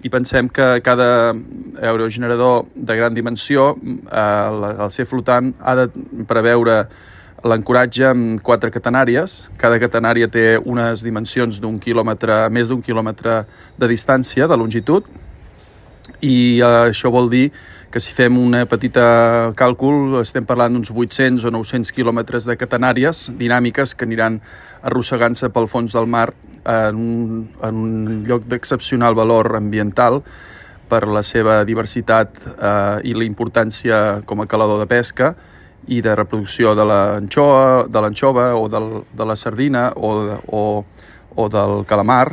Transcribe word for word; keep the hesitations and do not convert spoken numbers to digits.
i pensem que cada aerogenerador de gran dimensió, eh, al ser flotant, ha de preveure l'ancoratge amb quatre catenàries. Cada catenària té unes dimensions d'un quilòmetre, més d'un quilòmetre de distància, de longitud, i eh, això vol dir que si fem una petita càlcul estem parlant d'uns vuit-cents o nou-cents quilòmetres de catenàries dinàmiques que aniran arrossegant-se pel fons del mar en un, en un lloc d'excepcional valor ambiental per la seva diversitat eh, i la importància com a calador de pesca i de reproducció de l'anxova, de l'anxova o del, de la sardina o, de, o, o del calamar.